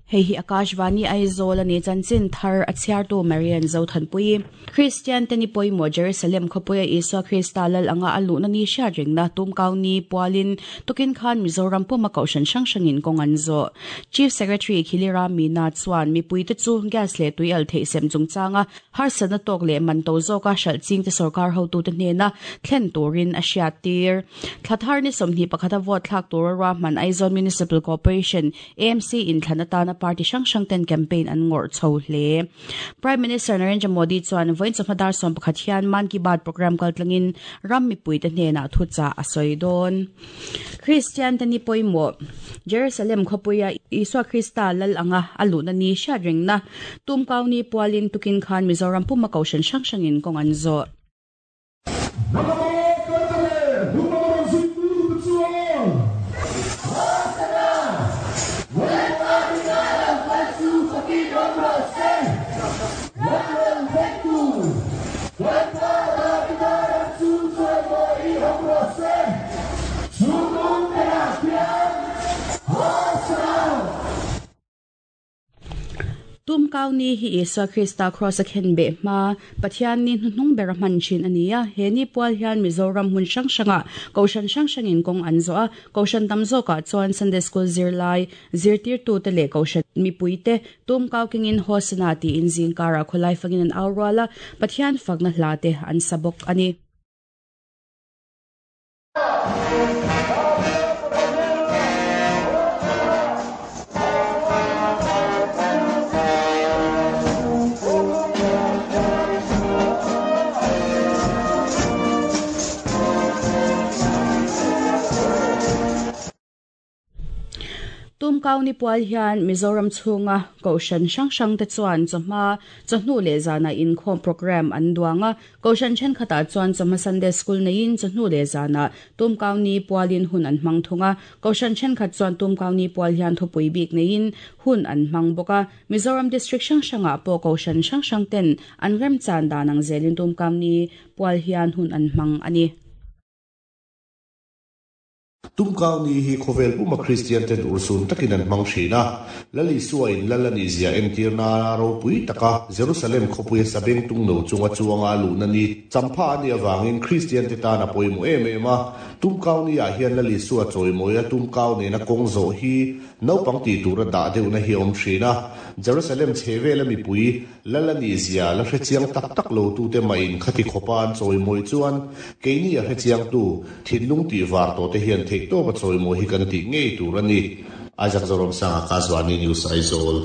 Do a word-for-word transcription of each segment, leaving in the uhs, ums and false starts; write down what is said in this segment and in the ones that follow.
Hei hi Akashvani Aizawl ani chanchin thar a chhiartu Marian Zothanpui Christian te ni pawimawh Jerusalem khawpuia Isua Krista lal anga a luhna ni hriat rengna tumkau ni pualin tukin khan Mizoram puma kohhran hrang hrangin kawng an zawh Chief Secretary Khilira Meena chuan mipui te chu gas leh tui al theih sem chungchanga harsatna tawk leh man to zawka hralh ching te sarkar hotu te hnena thlen turin a hriat tir Thlathar ni sawmhnih pakhata vote thlak tur a ruahman Aizawl Municipal Corporation A M C in thlan atana party hrang hrang ten campaign an ngawrh chho hle Prime Minister Narendra Modi chuan vawiin chawhma dar sawm pakhat hian Mann Ki Baat program kaltlangin ram mipui te hnenah thucha a sawi dawn Christian te ni pawimawh Jerusalem khawpuia Isua Krista lal anga a luhna ni hriat rengna tumkau ni pualin tukin khan Mizoram puma kohhran hrang hrangin kawng an zawh Tumkau ni hi Isua Krista cross a khen be ma Pathian ni hnuhnung ber a hman thin ania he ni pual hian Mizoram hmun hrang hranga kohhran hrang hrangin kawng an zawh a kohhran tam zawkah chuan Sunday School zirlai zirtir tu te leh kohhran mipui te tumkau kengin Hosana tiin zingkara khawlai fangin an au rual a Pathian fakna hla te an sa bawk ani. Tumkau ni pual hian Mizoram chhunga kohhran hrang hrang te chuan chawhma chawhnu leh zana inkhawm program an duanga kohhran thenkhatah chuan chawhma Sunday School neiin chawhnu leh zana tumkau ni pualin hun an hmang thunga kohhran thenkhat chuan tumkau ni pual hian thupui bik neiin hun an hmang bawka Mizoram district hrang hrangah pawh kohhran hrang hrang ten an remchan dan ang zelin tumkau ni pual hian hun an hmang ani. Tumkau ni hi khawvel puma Christian ten ursun takin an hmang thina lali suain lalani zia entirna ropui taka Jerusalem khawpuia sabeng tung no chunga chuanga luhna ni champha ani awangin Christian te tan a pawimawh em em a tumkau ni ah hian lali sua chawimawia tumkau nena kawng zawh hi naupang tih tura dah deuhna hi a awm thina Jerusalem chhevela mipui lalani zia la hrechiang tak tak lo tu te mah in khati khawpa an chawimawi chuan keini a hrechiang tu thinlung tih var tawh te hian theih tawp a chawimawi hi kan tih ngei tur ani Isaac Zoram Sanga Akashvani News Aizawl.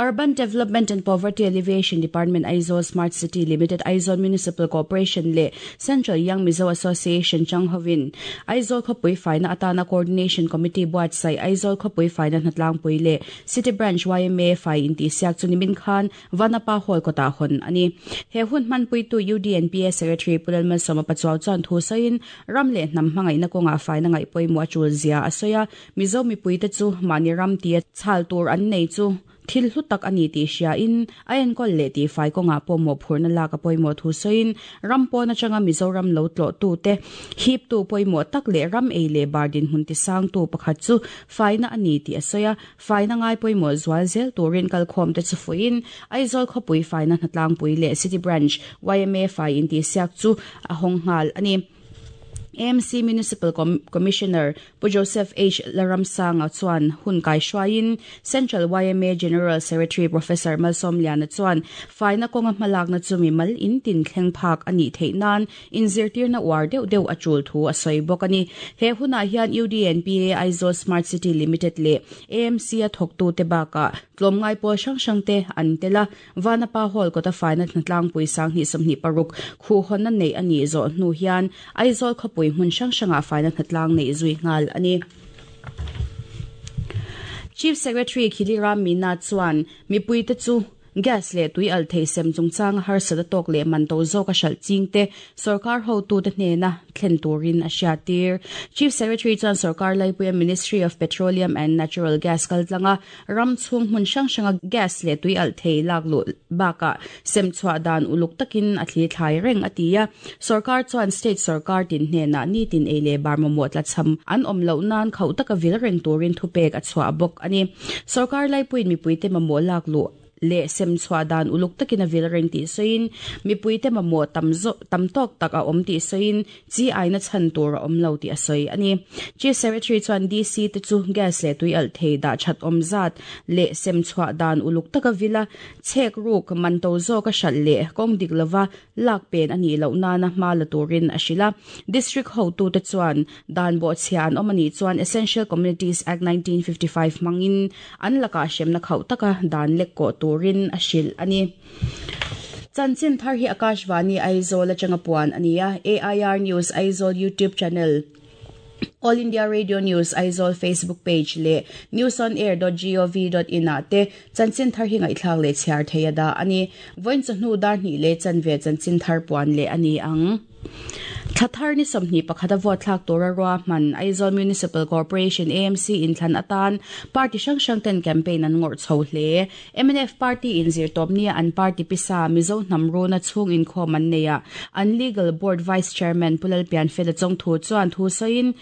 Urban Development and Poverty Alleviation Department Aizawl Smart City Limited Aizawl Municipal Corporation le Central Young Mizo Association Changhovin Aizawl khawpui faina atana Coordination Committee buatsaih Aizawl khawpui faina hnatlangpui le City Branch Y M A fai inti siak chu nimin khan Vanapa Hall kawtah hawn ani he hun hmanpui tu U D N P A Secretary Pulalmal Sawma Pachuau chuan thu sawiin ram leh hnam hmangaihna kawnga faina ngaih pawimawh a tul zia a sawi a Mizo mipui te chu mahni ram tia chhal tur an nei chu thil hlu tak ani tih hria in a enkawl leh tih fai kawngah pawh mawhphurhna lak a pawimawh thu sawiin ram pawn atanga Mizoram lo tlawh tu te hip tu pawimawh tak leh ram ei leh bar dinhmun ti sang tu pakhat chu faina ani tih a sawi a faina ngai pawimawh zual zel turin kalkhawm te chu fuiin Aizawl khawpui faina hnatlangpui leh City Branch Y M A fai inti siak chu a hawng nghal ani. A M C Municipal Com- Commissioner Pu Joseph H. Laramsanga chuan hun kai hruaiin Central Y M A General Secretary Professor Malsom Liana chuan faina kawnga hmalakna chu mi mal in tin thleng phak ani theih nan inzirtirna uar deuh deuh a tul thu a sawi bawk ani he hunah hian U D N P A Aizawl Smart City Limited leh A M C a thawktu te bakah tlawmngai pawl hrang hrang te an tela Vanapa Hall kawta faina hnatlangpui sanghnih sawmhnih paruk khuhhawnna nei ani zawh hnu hian Aizawl khawpui hmun hrang hrangah faina hnatlang nei zui nghal ani. Chief Secretary Khilira Meena chuan mipui te chu Gas leh tui al thei sem chungchang har sada tok le man to zawk a hral ching te sarkar ho tu te hnena thlen turin a hriatir. Chief Secretary chuan sarkar laipuia Ministry of Petroleum and Natural Gas kaltlanga ram chhung hmun hrang hranga gas le tui al thei lak lu baka sem chhuah dan uluk takin a thli thlai reng atia. Sarkar chuan state sarkar tin hnena ni tin ei le bar mamawh tla cham an awm loh nan khauh taka vil reng turin thupek a chhuah bawk ani. Sarkar laipuiin mipuite mamawh lak lu le sem chhuah dan uluk takin a vil reng tih sawiin mipuite mamawh tam zo tam tawk tak a awm tih sawiin chi aina chhan tur a awm lo tih a sawi ani. Chief Secretary chuan D C te chu gas le tui al thei dah that awm zat le sem chhuah dan uluk taka vila chek ruk man to zawk a hral le kawng dik lova lak pen ani loh nana hma la turin a hrila. District ho tu te chuan dan bo chhian awm ani chuan Essential Communities Act nineteen fifty-five mangin an laka hremna khauh taka dan lek ko turin a hril ani. Chanchin thar hi Akashvani Aizawl atanga puan ania. A I R News Aizawl YouTube channel, All India Radio News Aizawl Facebook page le news on air dot gov dot in ate chanchin thar hi ngaihthlak le chhiar theia da ani. Voin chu hnu dar hnih le chanve chanchin thar puan le ani ang. Thathar ni somni pakhata vote thlak tura ruwa man Aizawl Municipal Corporation A M C in thlan atan party hrang hrang ten campaign an ngawrh chho hle. M N F party in zir tawp nia an party pisa Mizo hnam runa chhung inkhawm an nei a. An legal board vice chairman Pulal Pianfela Chongthu chuan thu sawiin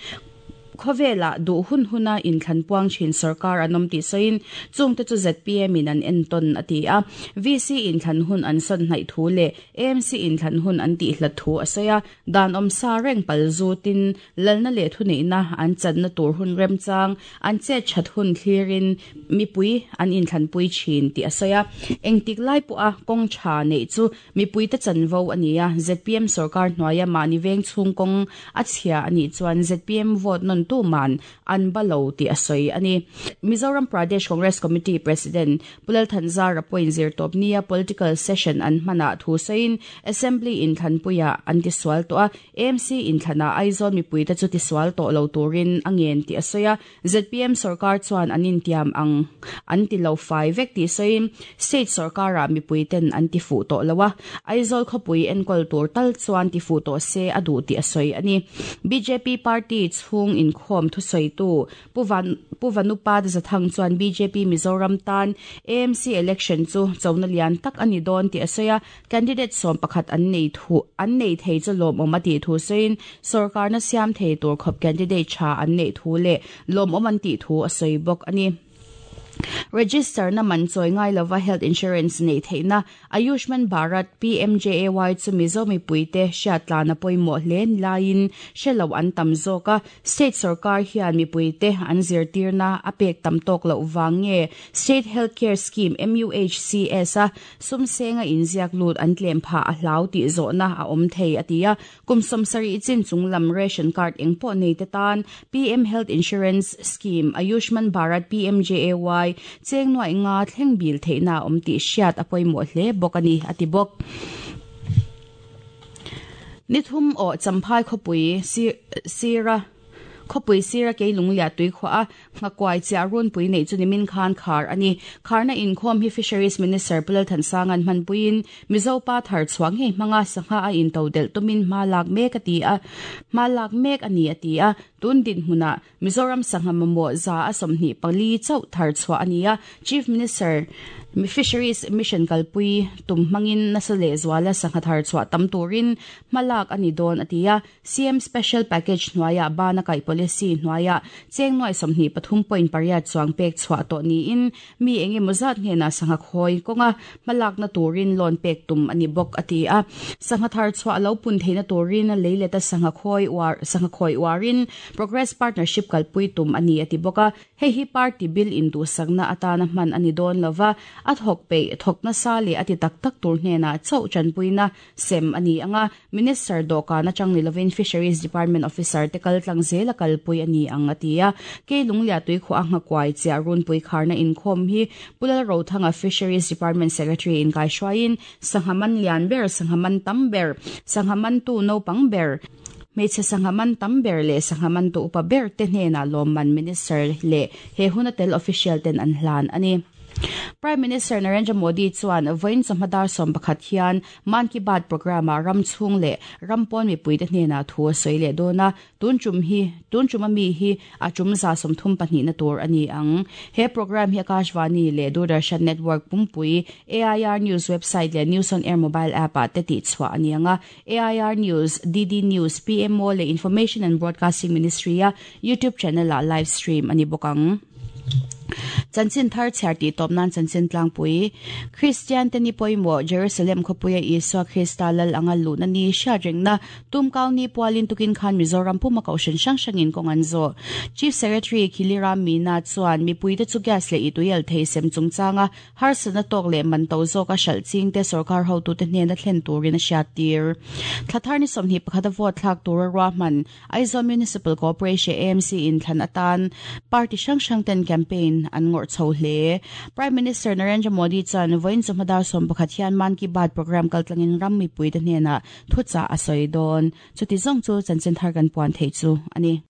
khawvela du hun huna in thlan puang thin sarkar anom ti sain chung te chu Z P M in an enton ati a. V C in thlan hun an son hnai thu le A M C in thlan hun an ti hlat thu asaya dan om sa reng pal zu tin lalna le thu nei na an chan na tur hun rem chang an che chat hun thlirin mipui an in thlan pui thin ti asaya engtik lai pu a kong tha nei chu mipui te chanvo ania. Z P M sarkar hnuaia mani veng chung kong a chhia ani chuan Z P M vote non tu man an balo ti asoi ani. Mizoram Pradesh Congress Committee President Pulal Thanzara point zir top nia political session an mana thu sain assembly in thanpuia an ti swal to a A M C in thana Aizawl mipui ta chu ti swal to lo turin angen ti asoya. Z P M sarkar chuan anin tiam ang an ti lo fai vek ti sain state sarkara mipui ten an ti fu to lawa Aizawl khopui enkol tur tal chuan ti fu to se adu ti asoi ani. B J P party chhung in khom thu soi tu puvan puvanupa zathang chuan B J P Mizoram tan A M C election chu chona lian tak ani don ti asoya candidate som pakhat an nei thu an nei thei chu lom om ati thu soin sarkar na siam thei tur khop candidate cha an nei thu le lom om an ti thu asoi bok ani. Register na man choi ngai lova health insurance nei theina Ayushman Bharat P M J A Y chu Mizo mipuite hriatla na pawimawh hle laiin hrelo an tam zawka state sarkar hian mipuite an zirtirna a pek tam tawk loh vang nge State Healthcare Scheme M U H C S a sumsenga inziak lut an tlem pha a hlau tih zawhna a awm thei atia. Kum sawmsarih chin chunglam ration card engpawh nei te tan P M Health Insurance Scheme Ayushman Bharat P M J A Y cheng nuai nga thleng bil theina awm tih hriat a pawimawh hle bawk ani ati bawk. Nithum aw champhai khawpui sira khawpui sira ke lunglia tui khaw a ngakwai chia run pui nei chu nimin khan khar ani. Kharna inkhawm hi Fisheries Minister Pulal Thansangan manpuin Mizo pa thar chuang hei hmanga sangha a in todel tumin hma lak mek ati a hma lak mek ani ati a. Tun din hmuna Mizoram sangha mamawh za a sawmhnih pali chauh thar chhuah ania. Chief Minister Fisheries Mission kalpui tum hmangin nasa leh zuala sangha thar chhuah tam turin hmalak ani dawn atia. C M Special Package hnuaia bana kai policy hnuaia cheng nuai sawmhnih pathum point pariat chuang pek chhuah tawh niin mi engemaw zat hnena sangha khawi kawnga hmalak na turin loan pek tum ani bawk atia. Sangha thar chhuah lo pun theina turin leileta sangha khawi uar sangha khawi uarin Progress Partnership kalpui tum ani ati bawk a. Hei hi party bill in du sakna atana hman ani dawn lova a thawk pe thawk na sa le ati tak tak tur hnena chauh chanpuina sem ani anga. Minister dawhkan atang ni lovin Fisheries Department officer te kal tlang zela kalpui ani ang atia. Ke lunglia tui khaw a ngakwai chia runpui kharna inkhawm hi Pulal Rothanga Fisheries Department Secretary in kai hruaiin sanghaman lian ber sanghaman tam ber sanghaman tu naupang ber hmeichhe sanghaman tam ber le sanghaman tu upa ber te hnena lawmman minister le he huna tel official ten an hlan ani. Prime Minister Narendra Modi chuan vawiin chawhma dar sawm pakhat hian Man Ki Baat program ah ram chhung leh ram pawn mipuite hnenah thu a sawi leh dawn a, tun tum hi tun tum ami hi a tum za sawmthum pahnihna tur a ni ang. He program hi Akashvani leh Doordarshan Network pumpui A I R News website leh News on Air mobile app ah te tih chhuah a ni ang a, A I R News, D D News, P M O leh Information and Broadcasting Ministry a YouTube channel ah live stream a ni bawk ang. Chanchin thar chhiar tih tawp nan chanchin tlangpui. Kristian te ni pawimawh Jerusalem khawpuia Isua Krista lal anga luhna ni hriatrengna Tumkau ni pualin tukin khan Mizoram puma kohhran hrang hrangin kawng an zawh. Chief Secretary Khiliram Meena chuan mipuite chu gas leh ituial thei sem chungchanga harsatna tawk leh man to zawka hralh ching te sorkar hotute hnena thlen turin a hriat tir. Thlathar ni sawmhnih pakhata vote thlak tura ruahman Aizawl Municipal Corporation A M C in thlan atan party hrang hrang ten campaign an ngawrh chho hle. Prime Minister Narendra Modi chuan vawiin chawhma dar sawm pakhat hian Man Ki Baat program kaltlangin ram mipuite hnenah thuchah a sawi dawn. Chuti zawng chu chanchin thar kan puan thei chu ani.